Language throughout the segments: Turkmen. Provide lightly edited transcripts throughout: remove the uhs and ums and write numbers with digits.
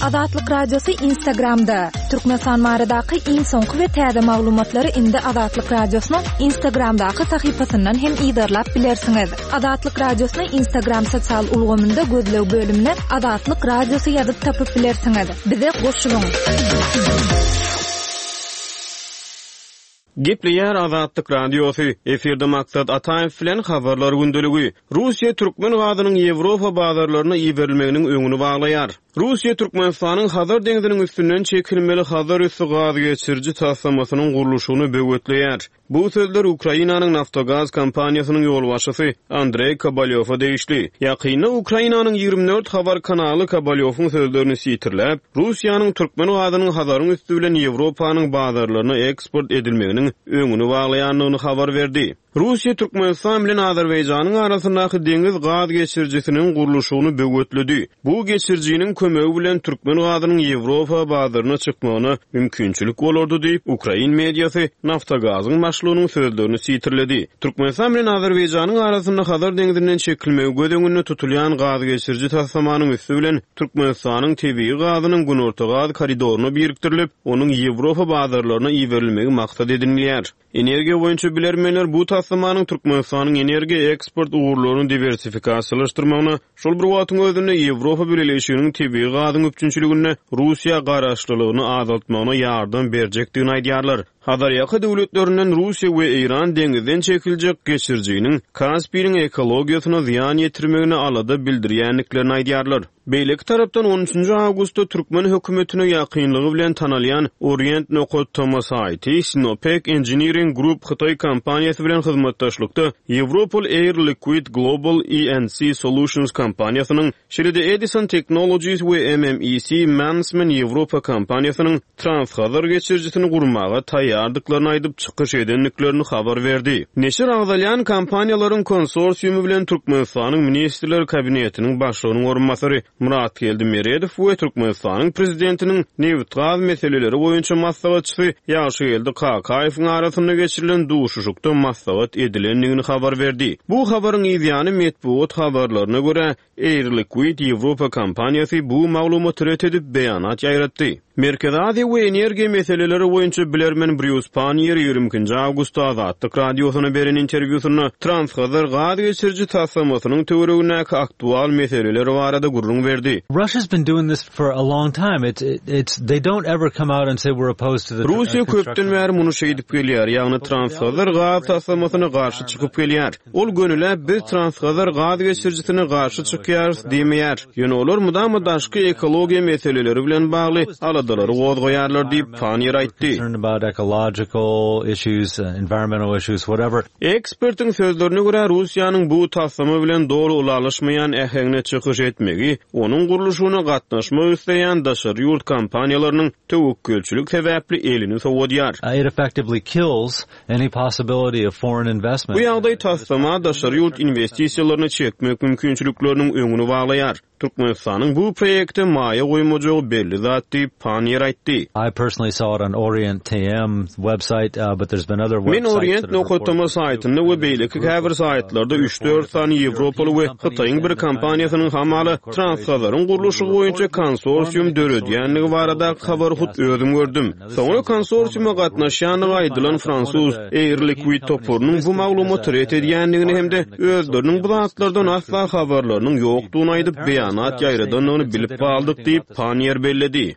Azatlyk Radiosy Instagramda! Türkmenistan baradaky iň soňky we täze maglumatlary indi Azatlyk Radiosynyň Instagramdaky sahypasyndan hem yzarlap bilersiňiz. Azatlyk Radiosyny Instagram sosial ulgamynda gözleg bölümine Azatlyk Radiosy ýazyp tapyp bilersiňiz. Bize goşulyň! Gepleýär Azatlyk Radiosy, efirde Maksat Ataýew bilen Habarlar gündeligi. Russiýa türkmen gazynyň Ýewropa bazarlaryna iberilmeginiň öňüni baglaýar. Russiýa Türkmenistanyň Hazar deňziniň üstünden çekilmeli Hazarüsti gaz geçiriji taslamasynyň gurluşygyny böwetleýär. Bu sözler Ukrainanyň Naftogaz kompaniýasynyň ýolbaşçysy Andreý Kobalýowa degişli. Ýakynda Ukrainanyň 24 habar kanaly Kobalýowyň sözlerini sitirläp, Russiýanyň türkmen gazynyň Hazaryň üsti bilen Ýewropanyň bazarlaryna eksport edilmeginiň öňüni baglaýandygyny habar berdi. Russiýa Türkmenistan bilen Azerbaýjanyň arasyndaky deňiz gaz geçirijisiniň gurluşygyny böwetledi. Bu geçirijiniň kömegi bilen türkmen gazynyň Ýewropa bazaryna çykmagyna mümkinçilik bolardy diýip, ukrain mediasy Naftogazyň başlygynyň sözlerini sitirledi. Türkmenistan bilen Azerbaýjanyň arasynda Hazar deňzinden çekilmegi göz öňünde tutulýan gaz geçiriji taslamanyň üsti bilen Türkmenistanyň tebigy gazynyň Günorta gaz koridoryna birikdirilip, onuň Ýewropa bazarlaryna iberilmegi maksat edinilýär. Energiýa boýunça bilermenler bu taslamanyň Türkmenistanyň energiýa eksport ugurlaryny diwersifikasiýalaşdyrmagyna, şol bir wagtyň özünde Ýewropa Bileleşiginiň tebigy gazyň üpjünçiliginde Russiýa garaşlylygyny azaltmagyna ýardam berjekdigini aýdýarlar. Hazarýaka döwletlerinden Russiýa we Eýran deňizden çekiljek geçirijiniň Kaspiniň ekologiýasyna zyýan ýetirmegine alada bildirýändiklerini aýdýarlar. Beýleki tarapdan, on üçünji awgustda türkmen hökümetine ýakynlygy bilen tanalýan Orient nokat tm saýty Sinopec Engineering Group hytaý kompaniýasy bilen hyzmatdaşlykda ýewropaly Air Liquide Global E&C Solutions kompaniýasynyň, şeýle-de Edison Technologies we MMEC Mannesmann Ýewropa kompaniýasynyň Transhazar geçirijisini gurmaga taýýardyklaryny aýdyp çykyş edendiklerini habar berdi. Neşir agzalýan kompaniýalaryň konsorsiumy bilen Türkmenistanyň Ministrler Kabinetiniň Başlygynyň orunbasary Myratgeldi Meredow we Türkmenistanyň Prezidentiniň nebitgaz meseleleri boýunça maslahatçysy Ýagşygeldi Kakaýewiň arasynda geçirilen duşuşykda maslahat edilendigini habar berdi. Bu habaryň yzýany metbugat habarlaryna görä, Air Liquide Ýewropa kompaniýasy bu maglumaty ret edip, beýanat ýaýratdy. Merkezi Aziýa we energiýa meseleleri boýunça bilermen Brýus Panniýer 22-nji awgustda Azatlyk Radiosyna beren interwýusynda Transhazar gaz geçiriji taslamasynyň töweregindäki aktual meseleler barada gürrüň berdi. Russia's been doing this for a long time. It's it's they don't ever come out and say we're opposed to the Russiýa köpden bäri muny şeýdip gelýär, ýagny Transhazar gaz taslamasyna garşy çykyp gelýär. Ol gönüläp biz Transhazar gaz geçirijisine garşy çykýarys diýmeýär. Ýöne olar mydama daşky ekologiýa meseleleri bilen bagly aladalary gozgaýarlar diýip, Panniýer aýtdy. Ekspertiň sözlerine görä, Russiýanyň bu taslama bilen doly ylalaşmaýan äheňde çykyş etmegi onuň gurluşygyna gatnaşmak isleýän daşary ýurt kompaniýalarynyň töwekgelçilik sebäpli elini sowadýar. Any possibility of foreign investment. Bu ýagdaý taslama daşary ýurt inwestisiýalaryny çekmek mümkinçilikleriniň öňüni baglaýar. Türkmenistanyň bu proýekte maýa goýmajagy belli zat diýip, Panniýer aýtdy. I personally saw it on Orient TM website, but there's been other Men websites that Orient have nokat reported tm this too. saýtynda we beýleki käbir saýtlarda üç-dört sany ýewropaly we Hytaýyň bir kompaniýasynyň hamala Transhazaryn gurluşygy boýunça konsorsium döredýändigi baradaky habary hut özüm gördüm. Soňra konsorsiuma gatnaşýandygy aýdylan fransuz Air Liquide toparynyň bu maglumaty ret edýändigini hem-de özleriniň bu zatlardan asla habarlarynyň ýokdugyny aýdyp, beýanat ýaýradandygyny bilip galdyk diýip, Panniýer belledi.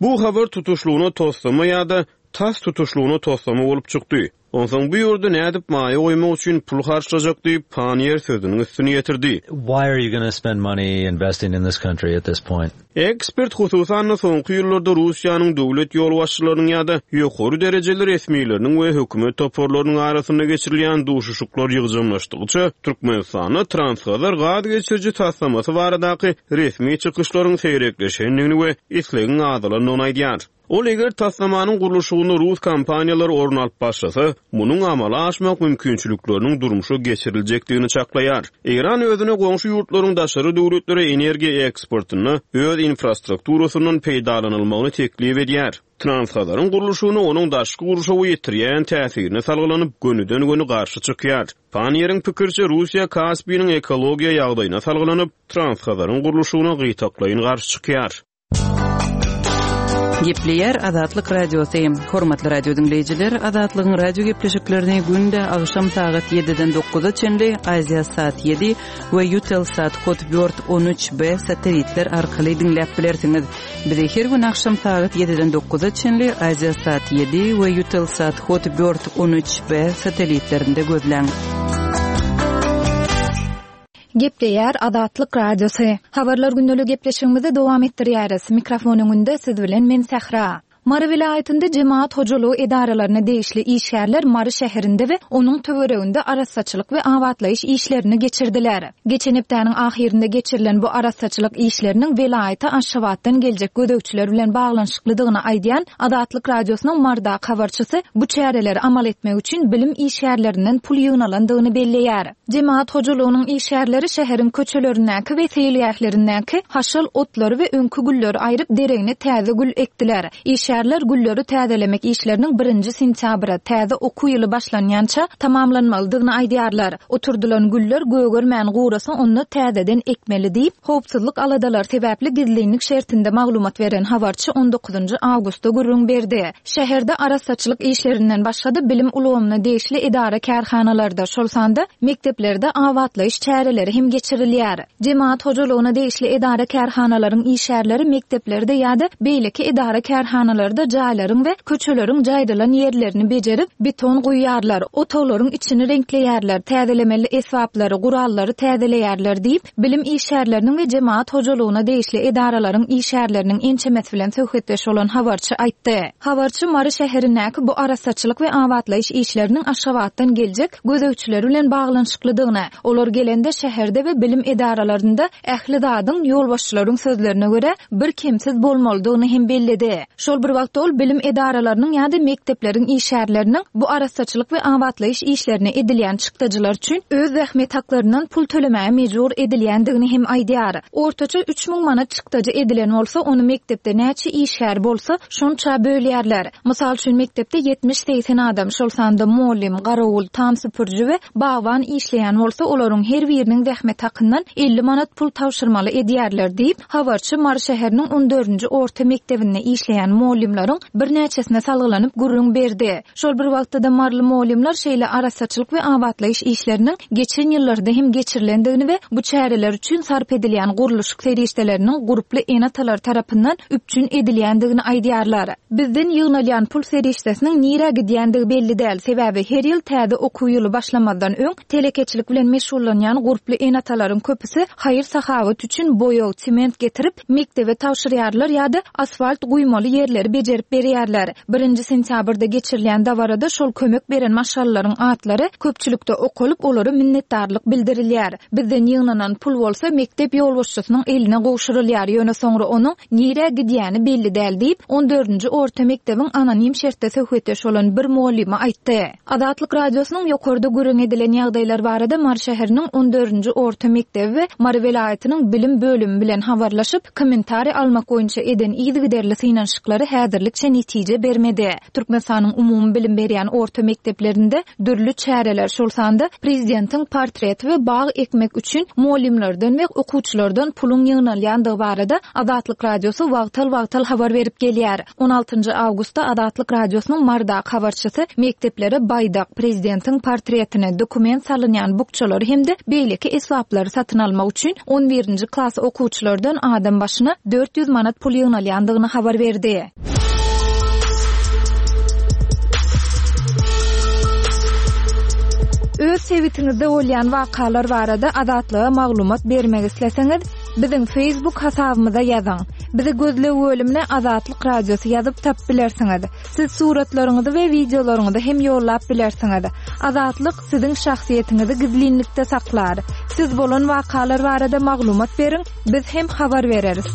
Bu habar tutuşlygyna toslama ýa-da tas tutuşlygyna toslama bolup çykdy. Onsoň bu ýurda nädip maýa goýmak üçin pul harçlajak diýip, Panniýer sözüniň üstüni ýetirdi. Why are you gonna spend money investing in this country at this point? Ekspert, hususan-da, soňky ýyllarda Russiýanyň döwlet ýolbaşçylarynyň ýa-da ýokary derejeli resmileriniň we hökümet toparlarynyň arasynda geçirilýän duşuşyklar ýygjamlaşdygyça, Türkmenistanda Transhazar gaz geçiriji taslamasy baradaky resmi çykyşlaryň seýrekleşendigini we islegiň azalandygyny aýdýar. Ol eger taslamanyň gurluşygynda rus kompaniýalary orun alyp başlasa, munuň amala aşmak mümkinçilikleriniň durmuşa geçiriljekdigini çaklaýar. Eýran özüne goňşy ýurtlaryň daşary döwletlere energiýa eksportynda öz infrastrukturasyndan peýdalanylmagyny teklip edýär. Transhazaryň gurluşygyna onuň daşky gurşawa ýetirýän täsirine salgylanyp, gönüden-göni garşy çykýar. Panniýeriň pikiriçe, Russiýa Kaspiniň ekologiýa ýagdaýyna salgylanyp, Transhazaryň gurluşygyna gytaklaýyn garşy çykýar. Gepleýär Azatlyk Radiosy. Hormatly radio diňleýjiler, Azatlygyň radio gepleşiklerini günde agşam sagat 7-den 9-a çenli Aziasat 7 we Eutelsat Hotbird 13B satelitler arkaly diňläp bilersiňiz. Bizi her gün agşam sagat 7-den 9-a çenli Aziasat 7 we Eutelsat Hotbird 13B satelitlerinde gözläň. Gepleýär Azatlyk Radiosy. Habarlar gündelik gepleşigimizi dowam etdirýäris. Mikrofon öňünde siz bilen men Sähra. Mary welaýatynda jemagat hojalygy edaralaryna degişli işgärler Mary şäherinde we onuň töwereginde arassaçylyk we abatlaýyş işlerini geçirdiler. Geçen hepdäniň ahyrynda geçirilen bu arassaçylyk işleriniň welaýata Aşgabatdan geljek gözegçiler bilen baglanyşyklydygyny aýdýan Azatlyk Radiosynyň Marydaky habarçysy bu çäreleri amal etmek üçin bilim işgärlerinden pul ýygnalandygyny belleýär. Jemagat hojalygynyň işgärleri şäheriň köçelerindäki we seýilgählerindäki haşal otlary we öňki gülleri aýryp, deregine täze gül ekdiler. Işgärler gülleri täzelemek işleriniň birinji sentýabra, täze okuw ýyly başlanýança tamamlanmalydygyny aýdýarlar. Oturdylan güller gögermän gurasa onda täzeden ekmeli diýip, howpsuzlyk aladalary sebäpli gizlinlik şertinde maglumat beren habarçy on dokuzynjy awgustda gürrüň berdi. Şäherde arassaçylyk işlerinden başga-da bilim ulgamyna degişli edara-kärhanalarda, şol sanda mekdeplerde abatlaýyş çäreleri hem geçirilýär. Jemagat hojalygyna degişli edara-kärhanalaryň işgärleri mekdeplerde ýa-da beýleki edara-kärhanalarda jaýlaryň we köçeleriň jaýrylan ýerlerini bejerip, beton guýýarlar, otaglaryň içini reňkleýärler, täzelemeli esbaplary, gurallary täzeleýärler diýip, Bilim işgärleriniň we jemagat hojalygyna degişli edaralaryň işgärleriniň ençemesi bilen söhbetdeş bolan habarçy aýtdy. Habarçy Mary şäherindäki bu arassaçylyk we abatlaýyş işleriniň Aşgabatdan geljek gözegçiler bilen baglanyşyklydygyny, olar gelende şäherde we bilim edaralarynda ähli zadyň, ýolbaşçylaryň sözlerine görä, bir kemsiz bolmalydygyny hem belledi. Şol bir wagtda ol bilim edaralarynyň ýa-da mekdepleriň işgärleriniň bu arassaçylyk we abatlaýyş işlerine edilýän çykdajylar üçin öz zähmet haklaryndan pul tölemäge mejbur edilýändigini hem aýdýar. Ortaça 3000 manat çykdajy edilen bolsa, ony mekdepde näçe işgär bolsa, şonça bölýärler. Mysal üçin, mekdepde ýetmiş-segsen adam, şol sanda mugallym, garawul, tam süpüriji we bagban işleýän bolsa, olaryň her biriniň zähmet hakyndan 50 manat pul tabşyrmaly edýärler diýip, Habarçy Mary şäheriniň on dördünji orta mekdebinde işleýän mugallymlaryň birnäçesine salgylanyp gürrüň berdi. Şol bir wagtda-da maryly mugallymlar şeýle arassaçylyk we abatlaýyş işleriniň geçen ýyllarda hem geçirilendigini we bu çäreler üçin sarp edilýän gurluşyk serişdeleriniň gurply ene-atalar tarapyndan üpjün edilýändigini aýdýarlar. Bizden ýygnalýan pul serişdesiniň nirä gidýändigi belli däl, sebäbi her ýyl täze okuw ýyly başlamazdan öň Telekeçilik bilen meşgullanýan gurply ene-atalaryň köpüsi haýyr-sahawat üçin boýag, sement getirip, mekdebe tabşyrýarlar ýa-da asfalt guýmaly ýerleri bejerip berýärler. Birinji sentýabrda geçirilýän dabarada şol kömek beren maşgalalaryň atlary köpçülikde okalyp, olara minnetdarlyk bildirilýär. Bizden ýygnanan pul bolsa mekdep ýolbaşçysynyň eline gowşurylýar, ýöne soňra onuň nirä gidýäni belli däl diýip, on dördünji orta mekdebiň anonim şertde söhbetdeş bolan bir mugallymy aýtdy. Azatlyk Radiosynyň ýokarda gürrüň edilen ýagdaýlar barada Mary şäheriniň on dördünji orta mekdebi we Mary welaýatynyň bilim bölümi bilen habarlaşyp, kommentariý almak boýunça eden yzygiderli synanyşyklary häzirlikçe netije bermedi. Türkmenistanyň umumybilim berýän orta mekdeplerinde dürli çäreler, şol sanda prezidentiň portreti we bag ekmek üçin mugallymlardan we okuwçylardan puluň ýygnalýandygy barada Azatlyk Radiosy wagtal-wagtal habar berip gelýär. On altynjy awgustda Azatlyk Radiosynyň Marydaky habarçysy mekdeplere baýdak, prezidentiň portretini, dokument salynýan bukjalary hem-de beýleki esbaplary satyn almak üçin on birinji klas okuwçylardan adam başyna 400 manat pul ýygnalýandygyny habar berdi. Öz sebitiňizde bolýan wakalar barada Azatlyga maglumat bermek isleseňiz, Biziň Facebook hasabymyza ýazyň. Bizi gözleg bölümine Azatlyk Radiosy ýazyp tapyp bilersiňiz. Siz suratlaryňyzy we wideolaryňyzy hem ýollap bilersiňiz. Azatlyk siziň şahsyýetiňizi gizlinlikde saklar. Siz bolan wakalar barada maglumat beriň, biz hem habar bereris.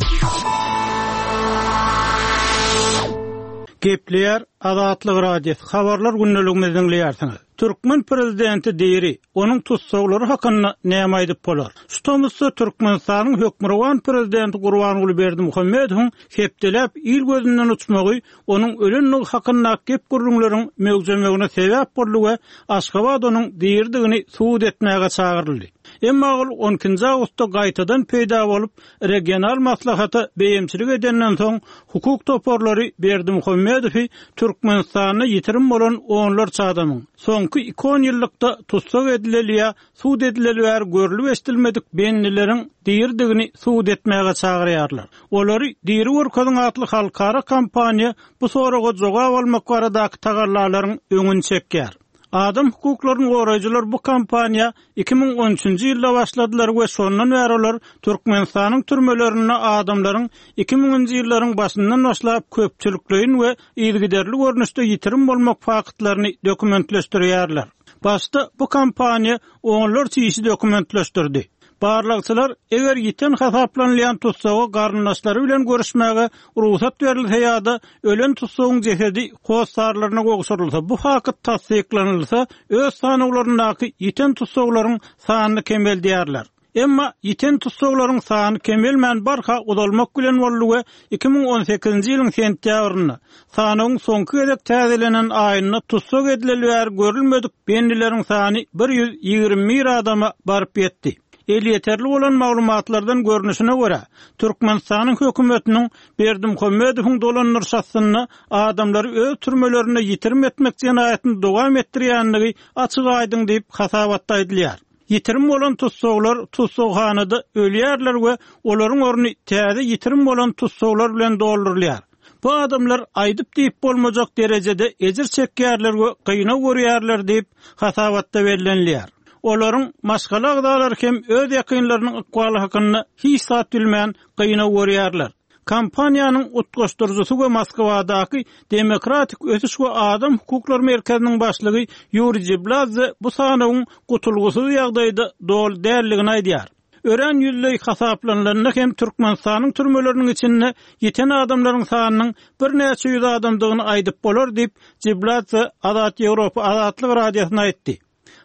Gepleýär Azatlyk Radiosy, Habarlar gündeligimizi diňleýärsiňiz. Türkmen prezidenti diri, onuň tussaglary hakynda näme aýdyp bolar? Şu tomusda Türkmenistanyň hökmürowan prezidenti Gurbanguly Berdimuhamedowyň hepdeläp il gözünden uçmagy onuň ölendigi hakyndaky gep-gürrüňleriň möwjemegine sebäp boldy we Aşgabat onuň diridigini subut etmäge çagyryldy. Emma ol on ikinji awgustda gaýtadan peýda bolup, regional maslahata beýemçilik edenden soň, hukuk toparlary Berdimuhamedowy Türkmenistanda ýitirim bolan onlarça adamyň, soňky iki onýyllykda tussag edileli ýa sud edileli bäri görlüp-eşidilmedik bendileriň diridigini subut etmäge çagyrýarlar. Olary diri görkeziň atly halkara kampaniýa bu soraga jogap almak baradaky tagallalaryň öňüni çekýär. Adam hukuklaryny goraýjylar bu kampaniýa 2013-nji ýylda başladylar we şondan bäri olar Türkmenistanyň türmelerinde adamlaryň iki müňünji ýyllaryň başyndan başlap köpçülikleýin we yzygiderli görnüşde ýitirim bolmak faktlaryny dokumentleşdirýärler. Başda bu kampaniýa onlarça işi dokumentleşdirdi. Barlagçylar, eger ýiten hasaplanylýan tussaga garyndaşlary bilen görüşmäge rugsat berilse ýa-da ölen tussagyň jesedi hossarlaryna gowşurylsa, bu fakt tassyklanylsa, öz sanawlaryndaky ýiten tussaglaryň sanyny kemeldýärler. Emma ýiten tussaglaryň sany kemelmän barha uzalmak bilen boldy we 2018-nji ýylyň sentýabrynda, sanawyň soňky gezek täzelenen aýynda tussag edileli bäri görülmedik bendileriň sany 121 adama baryp ýetdi. Elýeterli bolan maglumatlardan görnüşine görä, Türkmenistanyň hökümetiniň Berdimuhamedowyň dolandyryşy astynda adamlary öz türmelerinde ýitirim etmek jenaýatyny dowam etdirýändigi açyk-aýdyň diýip, hasabatda aýdylýar. Ýitirim bolan tussaglar tussaghanada ölýärler we olaryň orny täze ýitirim bolan tussaglar bilen doldurylýar. Bu adamlar aýdyp-diýip bolmajak derejede ejir çekýärler we gynag görýärler diýip, hasabatda bellenilýär. Olaryň maşgala agzalary hem öz ýakynlarynyň ykbaly hakynda hiç zat bilmän gynag görýärler. Kampaniýanyň utgaşdyryjysy we Moskwadaky Demokratik ösüş we adam hukuklary merkeziniň başlygy Ýuriý Jibladze bu sanawyň gutulgysyz ýagdaýda doly däldigini aýdýar. Örän ýüzleý hasaplanylanda hem Türkmenistanyň türmeleriniň içinde ýiten adamlaryň sanynyň birnäçe ýüz adamdygyny aýdyp bolar diýip, Jibladze Azat Ýewropa Azatlyk Radiosyna aýtdy.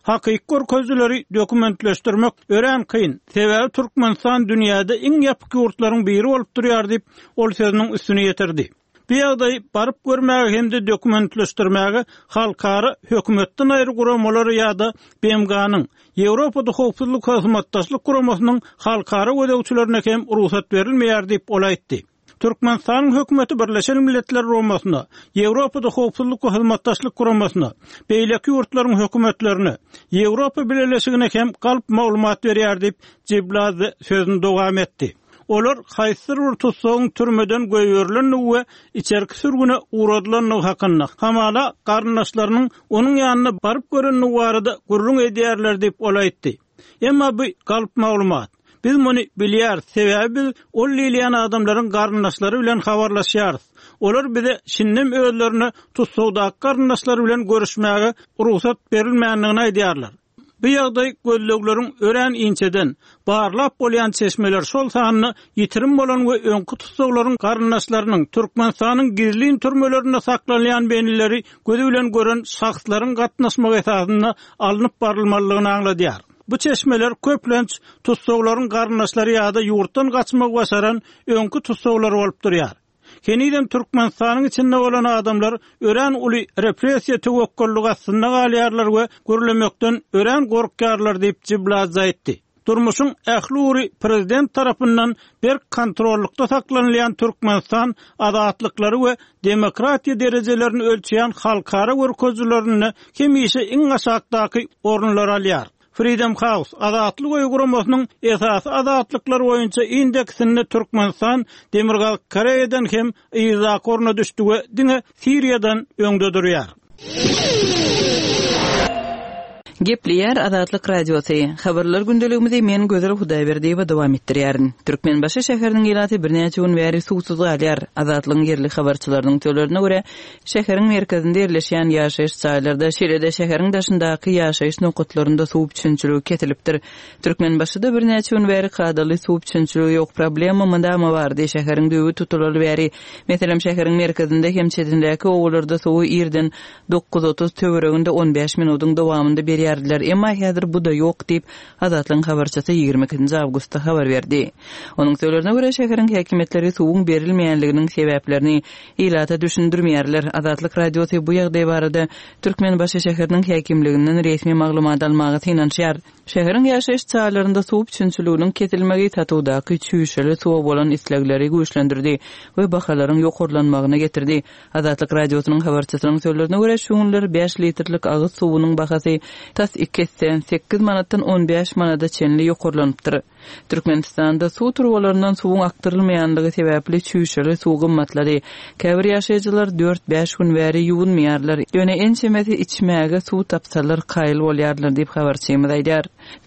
Hakyky görkezijileri dokumentleşdirmek örän kyn, sebäbi Türkmenistan dünýäde iň ýapyk ýurtlaryň biri bolup durýar diýip, ol sözüniň üstüni ýetirdi. Bu ýagdaýy baryp görmäge hem-de dokumentleşdirmäge halkara hökümetden aýry guramalara ýa-da BMG-niň, Ýewropada Howpsuzlyk Hyzmatdaşlyk Guramasynyň halkara gözegçilerine hem rugsat berilmeýär diýip, ol aýtdy. Türkmenistanyň hökümeti Birleşen Milletler Guramasyna, Ýewropada Howpsuzlyk we Hyzmatdaşlyk Guramasyna, beýleki ýurtlaryň hökümetlerine, Ýewropa Bileleşigine hem galp maglumat berýär diýip, Jibladze sözüni dowam etdi. Olar haýsydyr bir tussagyň türmeden goýberilendigi we içerki sürgüne ugradylandygy hakynda, hamala garyndaşlarynyň onuň ýanyna baryp görendigi barada gürrüň edýärler diýip, ol aýtdy. Emma bu galp maglumat. Biz muny bilýäris, sebäbi biz ol diýilýän adamlaryň garyndaşlary bilen habarlaşýarys. Olar bize şindem özlerine tussagdaky garyndaşlary bilen görüşmäge rugsat berilmändigini aýdýarlar. Bu ýagdaý gözlegleriň örän inçeden, barlap bolýan çeşmeler, şol sanda ýitirim bolan we öňki tussaglaryň garyndaşlarynyň, Türkmenistanyň gizlin türmelerinde saklanylýan bendileri gözi bilen gören şahslaryň gatnaşmagy esasynda alnyp barylmalydygyny aňladýar. Bu çeşmeler köplenç tussaglaryň garyndaşlary ýa-da ýurtdan gaçmagy başaran öňki tussaglar bolup durýar. Henizem Türkmenistanyň içinde bolan adamlar örän uly repressiýa töwekgellik astynda galýarlar we gürlemekden örän gorkýarlar diýip, Jibladze aýtdy. Durmuşyň ähli ugry prezident tarapyndan berk kontrollykda saklanylýan Türkmenistan azatlyklary we demokratiýa derejelerini ölçeýän halkara görkezijilerinde hemişe iň aşakdaky orunlary alýar. Freedom House, Azatlyk öýi guramasynyň esasy azatlyklar boýunça indeksinde Türkmenistan Demirgazyk Koreýadan hem yzdaky orna düşdi we diňe Siriýadan öňde durýar. Gepleýär Azatlyk Radiosy. Habarlar gündeligimizi men Gözel Hudaýberdiýewa dowam etdirýärin. Türkmenbaşy şäheriniň ilaty birnäçe gün bäri suwsuz galýar. Azatlygyň ýerli habarçylarynyň sözlerine görä, şäheriň merkezinde ýerleşýän ýaşaýyş jaýlarda, şeýle-de şäheriň daşyndaky ýaşaýyş nokatlarynda suw üpjünçiligi kesilipdir. Türkmenbaşyda birnäçe gün bäri kadaly suw üpjünçiligi ýok. Problema mydama bardy. Şäheriň düýbi tutulaly bäri. Meselem, şäheriň merkezinde hem çetindäki obalarda suwy irden 9:30 töwereginde 15 minudyň dowamynda berýärdiler. Emma häzir bu-da ýok diýip, Azatlygyň habarçysy 22 nji awgustda habar berdi. Onuň sözlerine görä, şäheriň häkimiýetleri suwuň berilmeýänliginiň sebäplerini ilata düşündirmeýärler. Azatlyk Radiosy bu ýagdaý barada Türkmenbaşy şäheriniň häkimliginden resmi maglumat almaga synanyşýar. Şäheriň ýaşaýyş jaýlarynda suw üpjünçiliginiň kesilmegi satuwdaky çüýşeli suwa bolan islegleri güýçlendirdi we bahalaryň ýokarlanmagyna getirdi. Azatlyk Radiosynyň habarçysynyň sözlerine görä, şu günler bäş litrlik agyz suwunyň bahasy tas iki esse, sekiz manatdan on bäş manada çenli ýokarlanypdyr. Türkmenistanda suw turbalaryndan suwuň akdyrylmaýanlygy sebäpli çüýşeli suw gymmatlady. Käbir ýaşaýjylar dört-bäş gün bäri ýuwunmaýarlar, ýöne ençemesi içmäge suw tapsalar kaýyl bolýarlar diýip, habarçymyz aýdýar.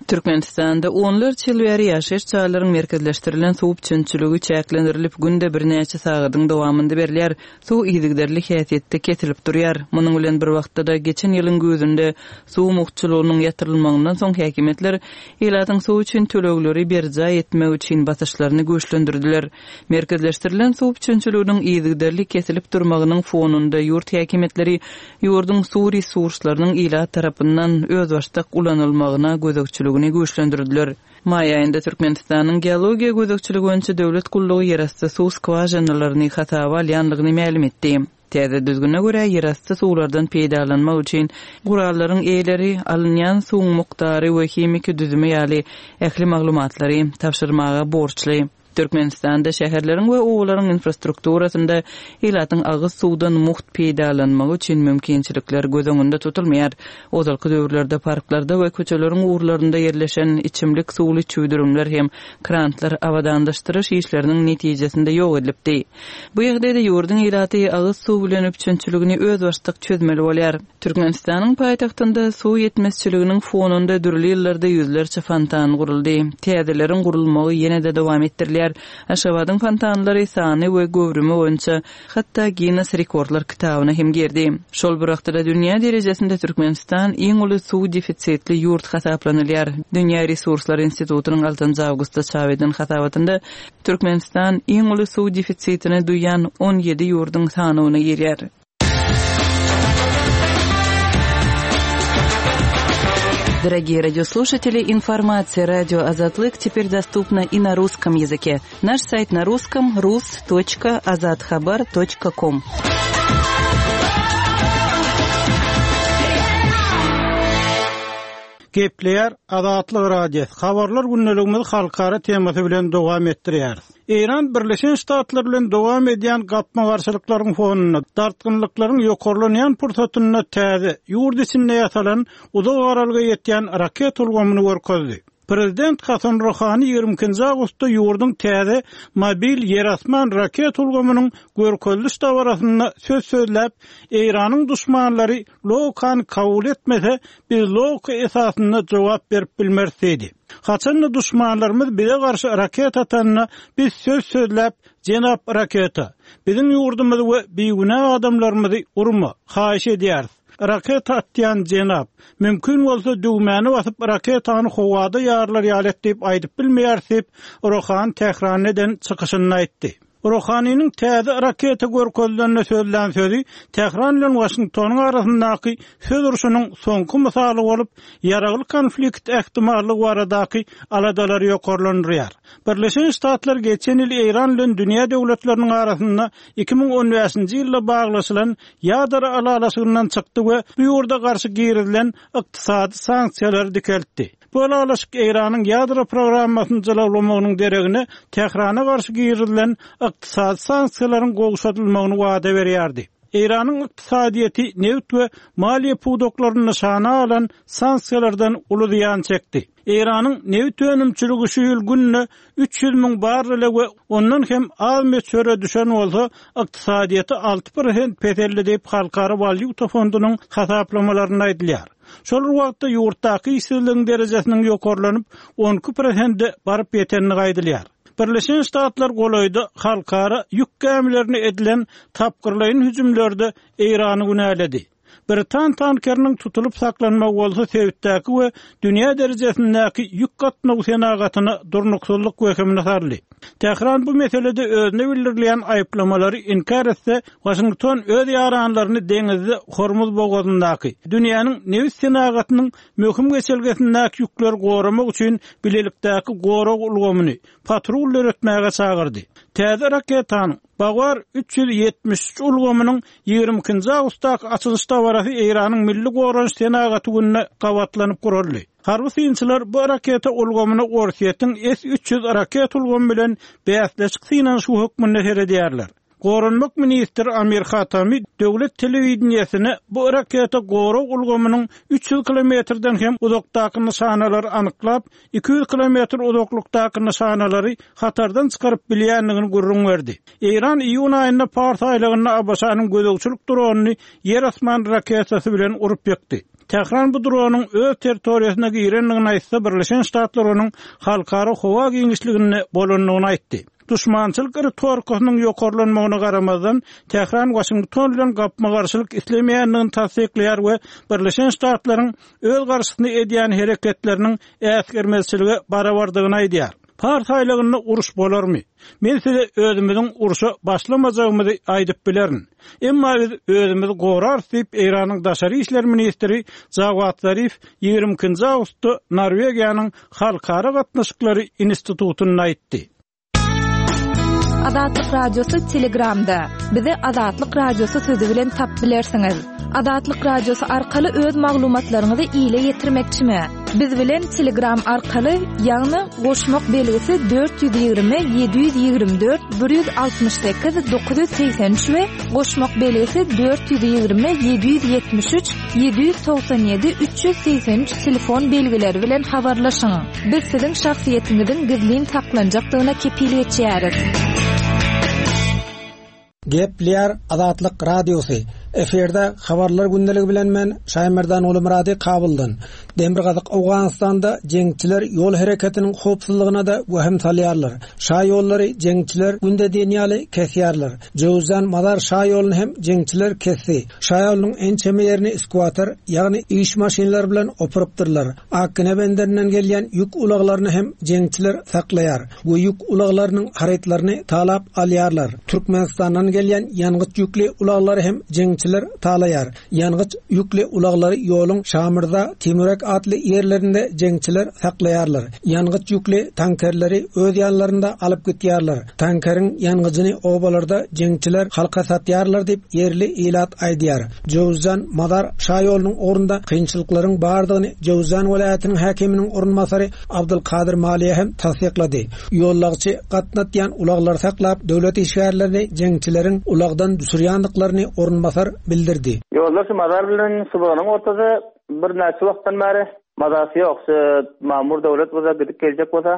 Türkmenistanda onlarça ýyl bäri ýaşaýyş jaýlaryň merkezleşdirilen suw üpjünçiligi çäklendirilip, günde birnäçe sagadyň dowamynda berilýär. Suw yzygiderli häsiýetde kesilip durýar. Munuň bilen bir wagtda-da, geçen ýylyň güýzünde suw mugtçulygynyň ýatyrylmagyndan soň häkimiýetler ilatyň suw üçin tölegleri berjaý etmegi üçin basyşlaryny güýçlendirdiler. Merkezleşdirilen suw üpjünçiliginiň yzygiderli kesilip durmagynyň fonunda ýurt häkimiýetleri ýurduň suw resurslarynyň ilat tarapyndan özbaşdak ulanylmagyna gözegçiligini güýçlendirdiler. Maý aýynda Türkmenistanyň Geologiýa gözegçiligi boýunça döwlet gullugy ýerasty suw skwažinalaryny hasaba alýandygyny mälim etdi. Täze düzgüne görä, ýerasty suwlardan peýdalanmak üçin gurallaryň eýeleri alynýan suwuň mukdary we himiki düzümi ýaly ähli maglumatlary tabşyrmaga borçly. Türkmenistanda şäherleriň we obalaryň infrastrukturasynda ilatyň agyz suwdan mugt peýdalanmagy üçin mümkinçilikler göz öňünde tutulmaýar. Ozalky döwürlerde parklarda we köçeleriň ugurlarynda ýerleşen içimlik suwly çüwdürimler hem krantlar abadanlaşdyryş işleriniň netijesinde ýok edilipdi. Bu ýagdaýda ýurduň ilaty agyz suw bilen üpjünçiligini özbaşdak çözmeli bolýar. Türkmenistanyň paýtagtynda suw ýetmezçiliginiň fonunda dürli ýyllarda ýüzlerçe fontan guruldy. Täzeleriň gurulmagy ýene-de dowam etdirilýär. Aşgabadyň fontanlary sany we göwrümi boýunça hatda Ginnes rekordlar kitabyna hem girdi. Şol bir wagtda-da dünýä derejesinde Türkmenistan iň uly suw defisitli ýurt hasaplanylýar. Dünýä resurslary institutynyň altynjy awgustda çap eden hasabatynda Türkmenistan iň uly suw defisitini duýýan 17 ýurduň sanawyna girýär. Дорогие радиослушатели, информация радио Азатлык теперь доступна и на русском языке. Наш сайт на русском rus.azathabar.com. Gepleýär Azatlyk Radiosy, Habarlar gündeligimizi halkara temasy bilen dowam etdirýäris. Eýran Birleşen Ştatlar bilen dowam edýän gapma-garşylyklaryň fonunda, dartgynlyklaryň ýokarlanýan pursatynda täze, ýurt içinde ýasalan, uzak aralyga ýetýän raketa ulgamyny görkezdi. Prezident Hasan Ruhani 22 nji awgustda ýurduň täze mobil ýer-asman raketa ulgamynyň görkeziliş dabarasynda söz sözläp, Eýranyň duşmanlary logikany kabul etmese, biz logika esasynda jogap berip bilmeris diýdi. Haçan-da duşmanlarymyz bize garşy raketa atanda, biz söz sözläp, Jenap raketa, biziň ýurdumyzy we bigünä adamlarymyzy urma, haýyş edýäris. Raketa atýan jenap, mümkin bolsa düwmäni basyp raketany howada ýarylar ýaly et diýip aýdyp bilmeýäris diýip, Rohani Tähranda eden çykyşynda aýtdy. Rohanynyň täze raketa görkezilende sözlän sözi Tähran bilen Waşingtonyň arasyndaky söz urşunyň soňky mysaly bolup, ýaragly konflikt ähtimallygy baradaky aladalary ýokarlandyrýar. Birleşen Ştatlar geçen ýyl Eýran bilen dünýä döwletleriniň arasynda 2015-nji ýylda baglaşylan ýadro ylalaşygyndan çykdy we bu ýurda garşy girizilen ykdysady sanksiýalary dikeltdi. Bu ylalaşyk Eýranyň ýadro programmasyny jylawlamagynyň deregine Tährana garşy girizilen ykdysady sanksiýalaryň gowşadylmagyny wada berýärdi. Eýranyň ykdysadyýeti nebit we maliýe pudaklaryny nyşana alan sanksiýalardan uly zyýan çekdi. Eýranyň nebit önümçiligi şu ýyl günde 300 müň barrele we ondan hem az möçbere düşen bolsa, ykdysadyýeti 6% peseldi diýip, Halkara walýuta fondunyň hasaplamalarynda aýdylýar. Şol bir wagtda, ýurtdaky işsizligiň derejesiniň ýokarlanyp, 12 prosente baryp ýetendigi aýdylýar. Birleşen Ştatlar golaýda halkara ýük gämilerine edilen tapgyrlaýyn hüjümlerde Eýrany günäledi. Britan tankeriniň tutulyp saklanmagy bolsa sebitdäki we dünýä derejesindäki ýük gatnawy senagatyna durnuksyzlyk wehimini saldy. Tähran bu meselede özüne bildirilýän aýyplamalary inkär etse, Waşington öz ýaranlaryny deňizde Hormuz bogazyndaky, dünýäniň nebit senagatynyň möhüm geçelgesindäki ýükleri goramak üçin bilelikdäki gorag ulgamyny, patrul döretmäge çagyrdy. Täze raketanyň, Bavar 373 ulgamynyň 22-nji awgustdaky açylyş dabarasy Eýranyň Milli goranyş senagaty gününe gabatlanyp guraldy. Harby synçylar bu raketa ulgamyna Orsýetiň S 300 raketa ulgamy bilen bäsleşik synanyşygy hökmünde seredýärler. Goranmak ministri Amir Hatami döwlet telewideniýesine bu raketa gorag ulgamynyň 300 kilometrden hem uzakdaky nyşanalary anyklap, 200 kilometr uzaklykdaky nyşanalary hatardan çykaryp bilýändigini gürrüň berdi. Eýran iýun aýynda Pars aýlagynda ABŞ-nyň gözegçilik dronyny ýer-asman raketasy bilen urup ýykdy. Tähran bu dronyň öz territoriýasyna girendigini aýtsa, Birleşen Ştatlar onuň halkara howa giňişliginde bolandygyny aýtdy. Duşmançylyk ritorikasynyň ýokarlanmagyna garamazdan, Tähran Waşington bilen gapma-garşylyk islemeýändigini tassyklaýar we Birleşen Ştatlaryň öz garşysyna edýän hereketleriniň äsgermezçilige barabardygyny aýdýar. Pars aýlagynda uruş bolarmy? Men size özümiziň urşa başlamajagymyzy aýdyp bilerin. Emma biz özümizi gorarys diýip, Eýranyň daşary işler ministri Jawad Zarif 22-nji awgustda Norwegiýanyň Halkara gatnaşyklary institutynda aýtdy. Azatlyk Radiosy Telegramda. Bizi Azatlyk Radiosy sözi bilen tapyp bilersiňiz. Azatlyk Radiosy arkaly öz maglumatlaryňyzy ile ýetirmekçimi? Biz bilen Telegram arkaly, ýagny goşmak belgisi 420 724 168 983 we goşmak belgisi 420 773 797 383 telefon belgileri bilen habarlaşyň. Biz siziň şahsyýetiňiziň gizlin saklanjakdygyna kepil geçýäris. Gepleýär Azatlyk Radiosy, Efirde Habarlar gündeligi bilen men Şaýmerdan Gulumyrady Kabuldan. Demirgazyk Owganystanda jeňçiler ýol hereketiniň howpsuzlygyna-da wehim salýarlar. Şa ýollary jeňçiler günde diýen ýaly kesýärler. Jöwüzjan Mazar şa ýoluny hem jeňçiler kesdi. Şa ýolunyň ençeme ýerini skwater, ýagny iş maşynlary bilen opurypdyrlar. Akgine benderinden gelýän ýük ulaglaryny hem jeňçiler saklaýar we ýük ulaglarynyň harytlaryny talap alýarlar. Türkmenistandan gelýän ýangyç ýükli ulaglary hem jeňçiler talaýar. Ýangyç ýükli ulaglary ýoluň Şamyrza, Timurek atly ýerlerinde jeňçiler saklaýarlar. Ýangyç ýükli tankerleri öz ýanlarynda alyp gitýärler. Tankeriň ýangyjyny obalarda jeňçiler halka satýarlar diýip, ýerli ilat aýdýar. Jöwüzjan, Mazar şaýolunyň ugrunda kynçylyklaryň bardygyny Jöwüzjan welaýatynyň häkiminiň orunbasary Abdulkadyr Maliýe hem tassyklady. Ýollagçy gatnatýan ulaglary saklap, döwlet işgärlerini jeňçileriň ulagdan düşürýändiklaryny orunbasar bildirdi. Ýollar şu Mazar bilen Subanyň ortasy birnäçe wagtdan bäri mazasy ýok. Şu mamur döwlet bolsa gidip geljek bolsa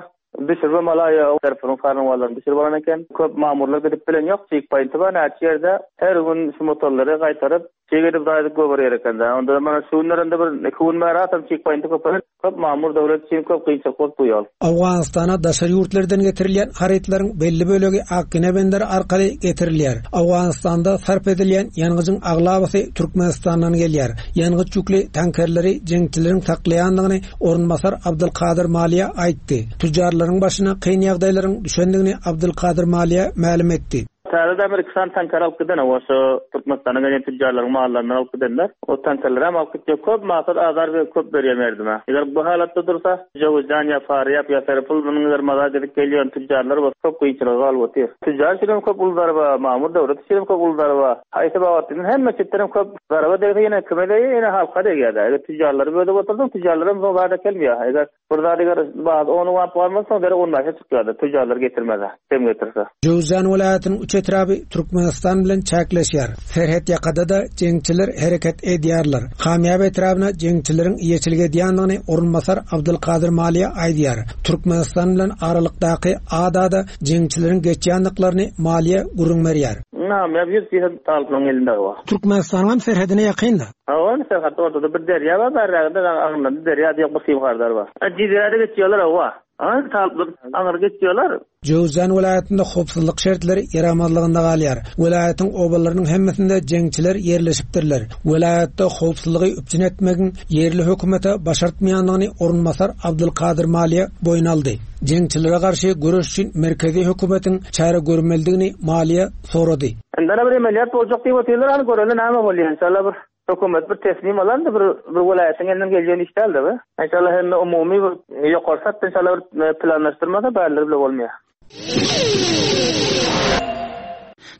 Düşürme malaýa tarapynyň karnawalaryny düşürip alan eken. Köp mamurlar gidip bilen ýok, çig paýnty bar näçe ýerde. Her gün şu motorlary gaýtaryp, çig edip zaýadyp goýberýär eken-dä. Onda mana şu günlerinde bir iki gün bäri hasam çig paýnty köpelip, köp mamur döwlet üçin köp kynçylyk bolup bu ýol. Owganystana daşary ýurtlardan getirilýän harytlaryň belli bölegi Akgine benderi arkaly getirilýär. Owganystanda sarp edilýän ýangyjyň aglabasy Türkmenistandan gelýär. Ýangyç ýükli tankerleri jeňçileriň saklaýandygyny Orunbasar Abdylkadyr Maliýa aýtdy. Tüjjarlaryň başyna kyn ýagdaýlaryň düşendigini Abdylkadyr Maliýa mälim etdi. Täze demir iki sany tanker alyp giden oba şo Türkmenistana gelýän tüjjarlaryň mallaryndan alyp gidenler. O tankerlerem alyp gitjek köp maksat azar we köp berýär merdime. Eger bu halatda dursa Jöwüzjan ýa Farýap ýa Serpil munuň eger maza gidip gelýän tüjjarlar bolsa köp kynçylyga galyp otyr. Tüjjar üçin hem köp uly zarba, mamur döwlet üçin hem köp uly zarba. Haýsy babatda diýseň hemme çetden hem köp zarba degse ýene kime degýär ýene halka degýär-dä. Eger tüjjarlary bölüp otursaň tüjjarlaram soň zat äkelmeýär. Eger Bir zat eger bahasy ona bap galmasa, soň derek on bäşe çykýardy, tüjjarlar getirmese, kem getirse. Jöwüzjan welaýatynyň üç. etraby Türkmenistan bilen çäkleşýär. Serhet ýakada-da jeňçiler hereket edýärler. Kamýap etrabyna jeňçileriň eýeçilik edýändigini orunbasar Abdylkadyr Maliýa aýdýar. Türkmenistan bilen aralykdaky adada jeňçileriň geçýändiklerini Maliýa gürrüň berýär. Kamýap 100% talyplaryň elinde bar. Türkmenistanyňam serhedine ýakyn-da. Hawa, serhet ortada bir derýa bar, bärräginde agynda derýa diýen bir simhardar bar. Jizirede geçýärler, hawa. Aňry talyplar aňry geçýärler. Jöwüzjan welaýatynda howpsuzlyk şertleri ýaramazlygynda galýar. Welaýatyň obalarynyň hemmesinde jeňçiler ýerleşipdirler. Welaýatda howpsuzlygy üpjün etmegiň ýerli hökümete başartmaýandygyny orunbasar Abdylkadyr Maliýe boýun aldy. Jeňçilere garşy göreş üçin merkezi hökümetiň çäre görmelidigini Maliýe sorady. Indana bir emeliyat boljak diýip otyrlar, hany göreli näme bolýar, inşallah bir Hökümet bir teslim alandy bir bir welaýatyň elinden gelýän iş däldi bu. Inşallah hemme umumy bir ýokary satda inşallah bir planlaşdyrmasa bärleri bile bolmaýar.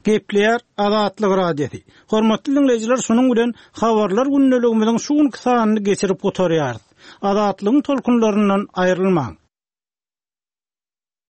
Gepleýär Azatlyk Radiosy. Hormatly diňleýjiler şunuň bilen Habarlar gündeligimiziň şu günki sanyny geçirip gutarýarys. Azatlygyň tolkunlaryndan aýrylmaň.